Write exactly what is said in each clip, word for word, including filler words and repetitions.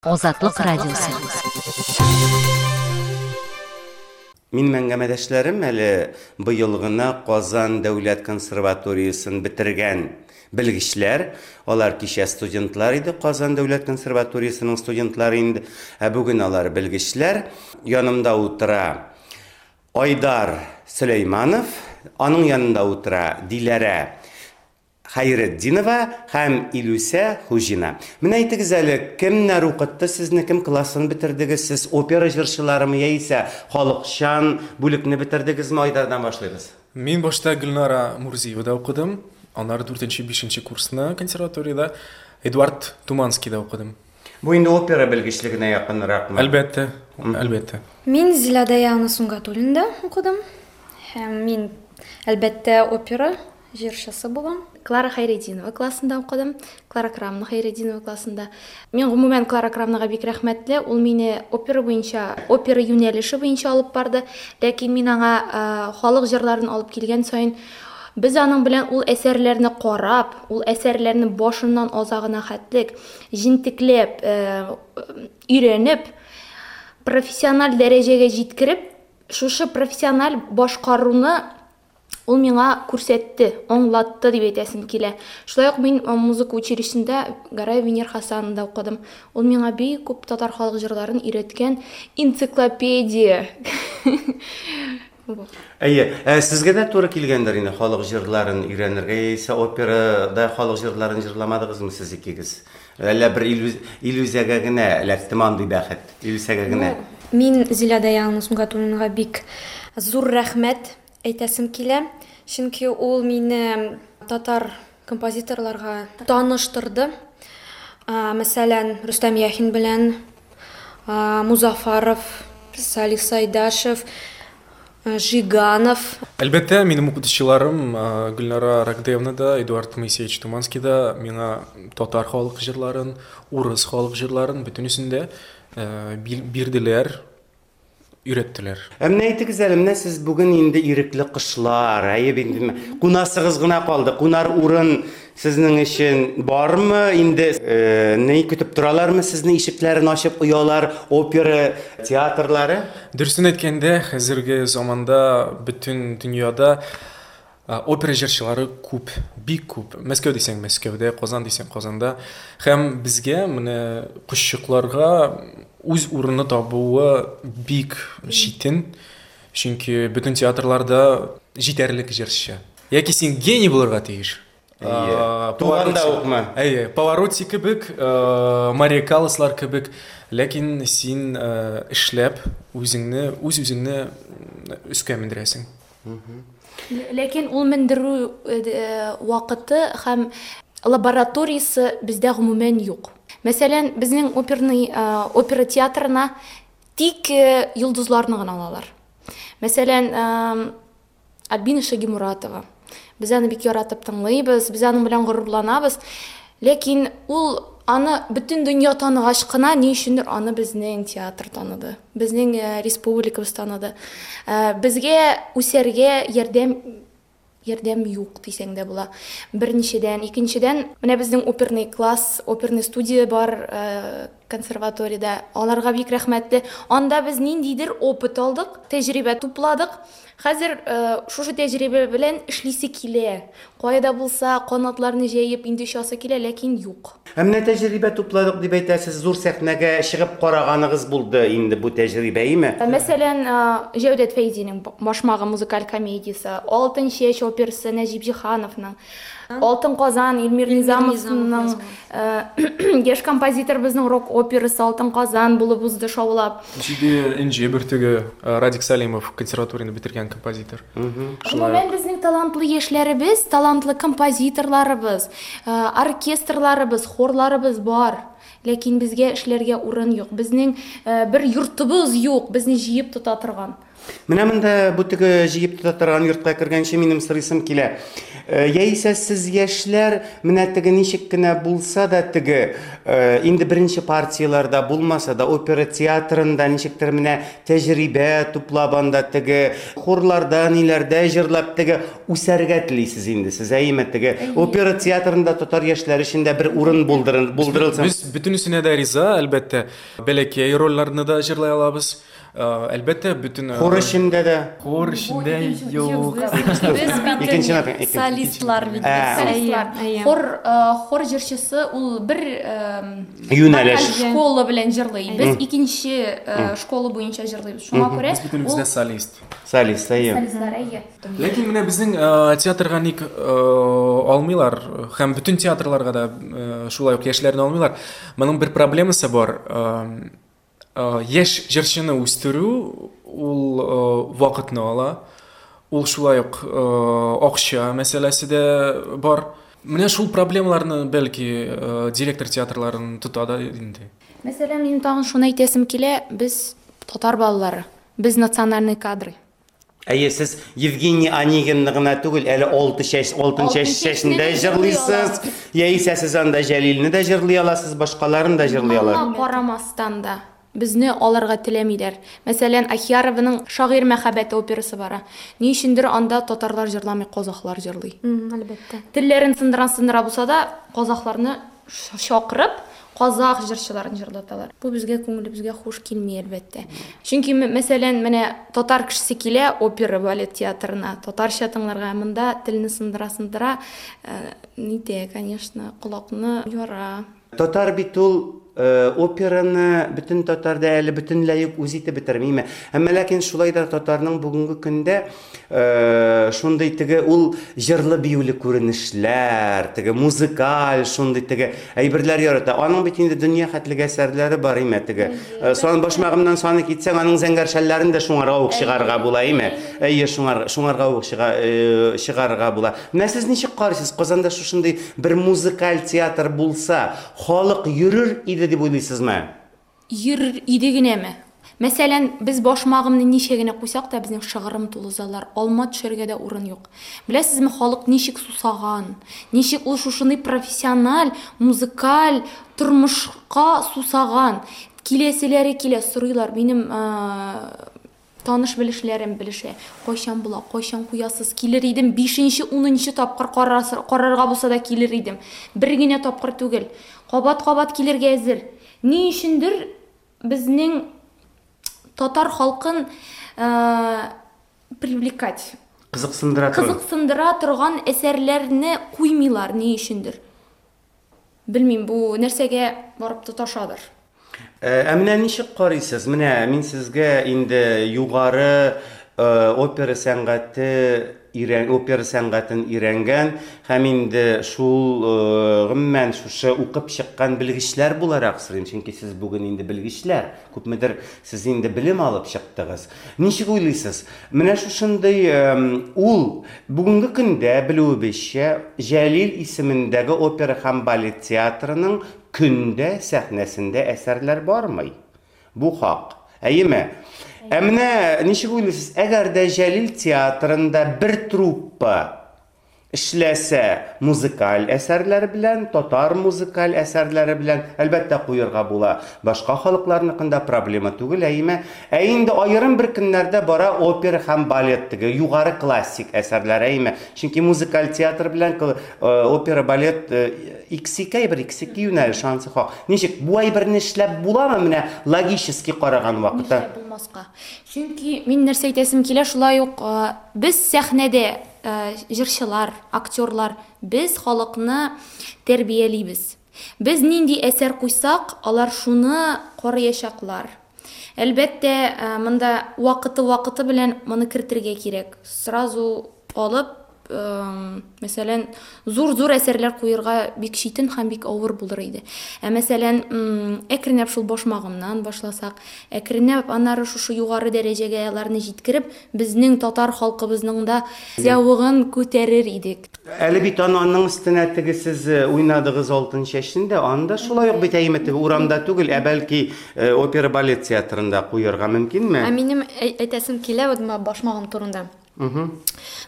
Азатлык радиосы. Минем әңгәмәдәшләрем әле быел гына Казан дәүләт консерваториясен бетергән белгечләр. Алар кичә студентлар иде, Казан дәүләт консерваториясенең студентлары инде. Ә бүген алар белгечләр. Янымда утыра Айдар Сөләйманов, аның янында утыра Диләрә Хәйретдинова һәм Илүсә Хуҗина. Менә әйтегез әле, кемнәр укытты сезне, кем классын бетердегез? Сез опера җырчыларымы яисә халыкчан бүлекне бетердегезме? Айдардан башлыйбыз. Мин башта Гөлнара Мурзиевада укыдым, аннары дүртенче, бишенче курсны консерваториядә Эдуард Туманскийда укыдым. Бу инде опера белгечлегенә якынракмы? Әлбәттә, әлбәттә. Мин Зилә Даяна Сунгатуллинда укыдым. Һәм мин, әлбәттә, опера җырчысы булам. Клара Хәйретдинова классында укыдым. Клара Крамна Хәйретдинова классында. Мин гомумән Клара Крамнага бик рәхмәтле. Ул мине опера буенча, опера юнәлеше буенча алып барды. Ләкин мин аңа, э, халык җырларын алып килгән саен без аның белән ул әсәрләрне карап, ул әсәрләрне башыннан азагына хәтлек җентекләп, э, өйрәнеп, профессиональ дәрәҗәгә җиткереп, шушы профессиональ башкаруны ул миңа күрсәтте, аңлатты дип әйтәсем килә. Шулай ук мин, э, музыка училищесында Гараев Венер Хасановда укыдым. Ул миңа бик күп татар халык җырларын өйрәткән энциклопедия. Әйе, ә сезгә дә туры килгәндер инде халык җырларын өйрәнергә, яисә операда халык җырларын җырламадыгызмы сез икегез? Әллә бер Илүз-, Илүзәгә генә эләктеме андый бәхет? Илүсәгә генә. Ну, мин Зилә Даяна Сунгатуллинага бик зур рәхмәт әйтәсем килә, чөнки ул мине татар композиторларга таныштырды. А, мәсәлән, Рөстәм Яхин белән, а, Музафаров, Салих Сайдашев, а, Жиганов. Әлбәттә, минем укытучыларым, а, Гөлнара Рагдеевна да, Эдуард Моисеевич Туманский да миңа татар халык җырларын, урыс халык җырларын бөтенесен дә, э, бил-, бирделәр, өйрәттеләр. Ә менә әйтегез әле, менә сез бүген инде ирекле кошлар, әйе бит инде, кунасыгыз гына калды. Кунар урын сезнең өчен бармы? Инде, э, ни көтеп торалармы сезне, ишекләрен ачып оялар, опера театрлары? Дөресен әйткәндә, хәзерге заманда бөтен дөньяда, э, опера җырчылары күп, бик күп. Мәскәү дисәң Мәскәүдә, Казан дисәң Казанда. Һәм безгә менә кошчыкларга үз урыны табуы бик читен, чөнки бөтен театрларда җитәрлек җырчы. Яки син гений булырга тиеш. Әйе. Э, Туганда Паваротти. укмы? Әйе, Паваротти кебек, э, Мария Калласлар кебек, ләкин син, э, эшләп үзеңне, үз-үзеңне өскә мендерәсең. Мгм. Ләкин ул мендерү, э, вакыты һәм лабораториясе бездә гомумән юк. Мәсәлән, безнең оперный, э, опера театрына тик, э, йолдызларны гына алалар. Мәсәлән, э, Альбина Шагимуратова. Без аны бик яратып тыңлыйбыз, без аның белән горурланабыз. Ләкин ул аны бөтен дөнья таныгач кына ни өчендер аны безнең театр таныды, безнең, э, республикабыз таныды. Э, безгә үсәргә ярдәм, ярдәм юк дисәң дә була. Беренчедән, икенчедән, менә безнең оперный класс, оперный студия бар, э, консерваториядә. Аларга бик рәхмәтле. Анда без ниндидер опыт алдык, тәҗрибә тупладык. Хәзер, э, шушы тәҗрибә белән эшлисе килә. Кайда булса канатларны җәеп инде очасы килә, ләкин юк. Ә менә тәҗрибә тупладык дип әйтәсез, зур сәхнәгә чыгып караганыгыз булды инде бу тәҗрибә, әйеме? Мәсәлән, э, Җәүдәт Фәйзинең Башмагы музыкаль комедиясе, Алтын чәч операсы Нәҗип Җиһановның, Алтын Казан Илмир Илмир Низамовның, Низамов. э, яшь композитор безнең рок операсы Алтын Казан булып узды шаулап. Җиде энҗе бөртеге, э, Радик Салимов консерваторияне бетергән композитор. Мгм. Шулай. Гомумән безнең талантлы яшьләребез, талантлы композиторларыбыз, э, оркестрларыбыз, хорларыбыз бар. Ләкин безгә эшләргә урын юк. Безнең, э, бер йортыбыз юк, безне җыеп тота торган. Менә монда бу теге җыеп тота торган йортка кергәнче минем сорыйсым килә. Яисә сез яшьләр менә теге ничек кенә булса да теге инде беренче партияләрдә булмаса да опера театрында ничектер менә тәҗрибә туплап анда теге хорларда ниләрдә җырлап теге үсәргә телисез инде сез, әйеме? Теге опера театрында татар яшьләре өчен дә бер урын булдырылсын. Без бөтенесенә дә риза, әлбәттә. Бәләкәй рольләрне дә җырлай алабыз. Әлбәттә, бөтен хор эчендә дә. Хор эчендә юк. Без бит солистлар бит. Солистлар. Хор хор җырчысы ул бер юнәлеш школа белән җырлый. Без икенче школа буенча җырлыйбыз. Шуңа күрә без бөтенебез дә солист. Солист, әйе. Солистлар, әйе. Ләкин менә безнең театрга ник алмыйлар һәм бөтен театрларга да шулай ук яшьләрне алмыйлар. Моның бер проблемасы бар. Яшь җырчыны үстерү ул вакытны ала, ул шулай ук акча мәсьәләсе дә бар. Менә шул проблемаларны бәлки директор театрларын тота да инде. Мәсәлән, минем тагын шуны әйтәсем килә, без татар балалары, без национальный кадры. Әйе, сез Евгений Онегинны гына түгел, әле алты чәч, алтын чәч чәчендә җырлыйсыз, яисә сез анда Җәлилне дә җырлый аласыз, башкаларын да җырлый аласыз. Моңа карамастан да безне алырга теләмиләр. Мәсәлән, Ахиярованың Шагыйрь мәхәббәте операсы бара. Ни өчендер анда татарлар җырламый, казахлар җырлый. Әлбәттә. Телләрен сындыра-сындыра булса да, казахларны чакырып, казах җырчыларын җырлаталар. Бу безгә күңелебезгә хуш килми, әлбәттә. Чөнки, мәсәлән, менә татар кешесе килә опера балет театрына, татарча тыңларга, монда телне сындыра-сындыра, нитә, конечно, колакны яра. Татар бит ул операны бөтен татарда әле бөтенләй үк үз итеп бетермиме? Әмма ләкин шулай да татарның бүгенге көндә шундый теге ул җырлы биюле күренешләр, теге музыкаль шундый теге әйберләр ярата. Аның бит инде дөнья хәтлеге әсәрләре бар име теге. Сан башмагымнан саны китсәң, аның зәңгәр шәлләрен дә шуңарга ук чыгарга була име? Әйе, шуңар шуңарга ук чыгарга була. Менә сез ничек карыйсыз? Казанда шушындый бер музыкаль театр булса, халык йөрер иде дип уйлыйсызмы? Йөрер иде генәме? Мәсәлән, без башмагымны ничә генә куйсак та, безнең шыгрым тулы заллар, алма төшәргә дә урын юк. Беләсезме, халык ничек сусаган, ничек ул шушындый профессиональ, музыкаль тормышка сусаган. Киләселәре килә, сорыйлар, минем таныш белешләрем белешә. Кайчан була, кайчан куясыз, килер идем, бишенче, унынчы тапкыр карарга булса да килер идем. Бер генә тапкыр түгел. Кабат-кабат килергә әзер. Ни өчендер безнең татар халкын привлекать, кызыксындыра торган, кызыксындыра торган әсәрләрне куймыйлар ни өчендер. Белмим, бу нәрсәгә барып тоташадыр. Ә менә ничек карыйсыз? Менә мин сезгә инде югары опера сәнгате опера сәнгатен өйрәнгән һәм инде шул гомумән шушы укып чыккан белгечләр буларак сорыйм, чөнки сез бүген инде белгечләр, күпмедер сез инде белем алып чыктыгыз. Ничек уйлыйсыз? Менә шушындый ул бүгенге көндә белүебезчә Җәлил исемендәге опера һәм балет театрының көндә сәхнәсендә әсәрләр бармый. Бу хак. Әйеме? Ә менә ничек уйлыйсыз, әгәр дә Җәлил театрында бер труппа эшләсә музыкаль әсәрләр белән, татар музыкаль әсәрләре белән, әлбәттә куярга була. Башка халыкларныкында проблема түгел, әйеме? Ә инде аерым бер көннәрдә бара опера һәм балет теге югары классик әсәрләр, әйеме? Чөнки музыкаль театр белән опера, балет икс ике бер икс ике юнәлеш шансы хак. Ничек бу әйберне эшләп буламы менә логически караган вакытта? Нишләп булмаска? Чөнки мин нәрсә әйтәсем килә, шулай ук без сәхнәдә җырчылар, актерлар, без халыкны тәрбиялибез. Без нинди әсәр куйсак, алар шуны караячаклар. Әлбәттә, монда вакыты-вакыты белән моны кертергә кирәк. Сразу алып, мәсәлән, зур-зур әсәрләр куярга бик читен һәм бик авыр булыр иде. Ә мәсәлән, әкренләп шул башмагымнан башласак, әкренләп аннары шушы югары дәрәҗәгә аларны җиткереп, безнең татар халкыбызның да зәвыгын күтәрер идек. Әле бит аның өстенә теге сез уйнадыгыз Алтын чәчне дә, анда шулай ук бит әйме теге урамда түгел, ә бәлки опера балет театрында куярга мөмкинме? Ә минем әйтәсем килә вот башмагым турында.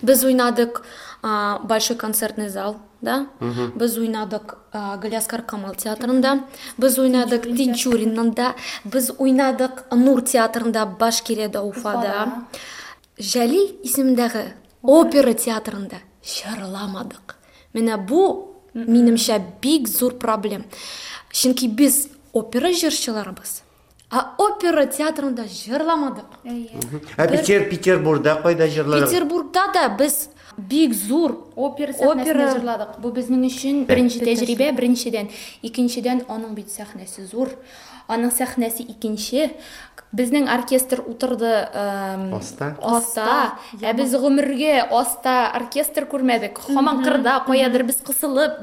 Без уйнадык Большой концертный зал, да? Без уйнадык Галиаскар Камал театрында, без уйнадык Тинчуриннанда, без уйнадык Нур театрында, Башкириядә, Уфада. Җәлил исемендәге опера театрында җырламадык. Менә бу, минемчә, бик зур проблем. Чөнки без опера җырчыларыбыз. А опера театрында җырламадык. Ә Питер, Петербургда кайда җырладык? Петербургда да без бик зур опера сәхнәсендә җырладык. Бу безнең өчен беренче тәҗрибә, беренчедән. Икенчедән, аның бит сәхнәсе зур. Аның сәхнәсе икенче. Безнең оркестр утырды аста. Аста. Ә без гомергә аста оркестр күрмәдек. Һаман кырда, каядыр без кысылып,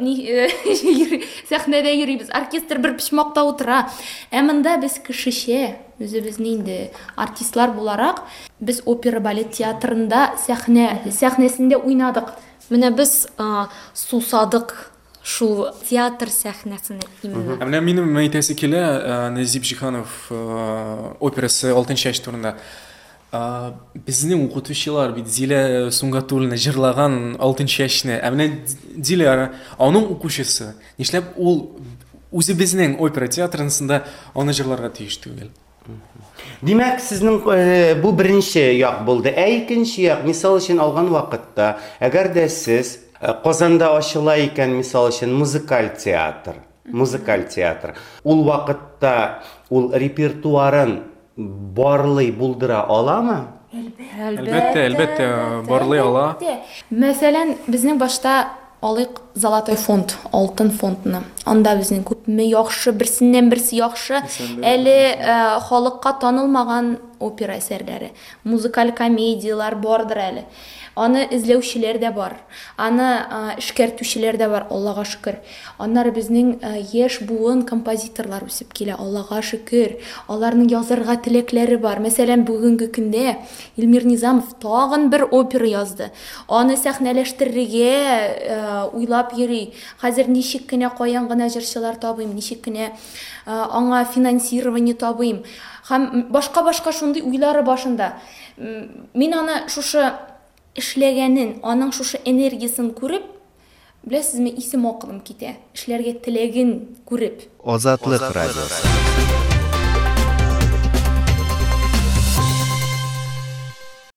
сәхнәдә йөрибез. Оркестр бер почмакта утыра. Ә монда без кешечә, үзебезне инде артистлар буларак, без опера балет театрында сәхнә, сәхнәсендә уйнадык. Менә без сусадык шул театр сәхнәсенә именно. Ә менә минем әйтәсе килә, Нәзип Җиһанов операсы Алтын чәч турында. Безнең укытучылар бит Зилә Сунгатуллина җырлаган Алтын чәчне. Ә менә Диляра, аның укучысы, нишләп ул үзебезнең опера театрында аны җырларга тиеш түгел? Димәк, сезнең бу беренче як булды. Ә икенче як, мисал өчен алган вакытта, әгәр дә сез Казанда ачыла икән, мисал өчен, музыкаль театр, музыкаль театр. Ул вакытта ул репертуарын барлый булдыра аламы? Әлбәттә, әлбәттә, барлый ала. Мәсәлән, безнең башта алыйк Золотой фонд, алтын фондны. Анда безнең күпме яхшы, берсеннән берсе яхшы, әле халыкка танылмаган опера әсәрләре, музыкаль комедияләр бардыр әле. Аны эзләүчеләр дә бар, аны эшкәртүчеләр дә бар, Аллага шөкер. Аннары безнең яшь буын композиторлар үсеп килә, Аллага шөкер. Аларның язарга теләкләре бар. Мәсәлән, бүгенге көндә Илмир Низамов тагын бер опера язды. Аны сәхнәләштерергә уйлап йөри. Хәзер ничек кенә каян гына җырчылар табыйм, ничек кенә аңа финансирование табыйм. Һәм башка-башка шундый уйлары башында. Мин аны шушы эшләгәнен, аның шушы энергиясын күреп, беләсезме, исем акылым китә. Эшләргә теләген күреп. Азатлык радиосы.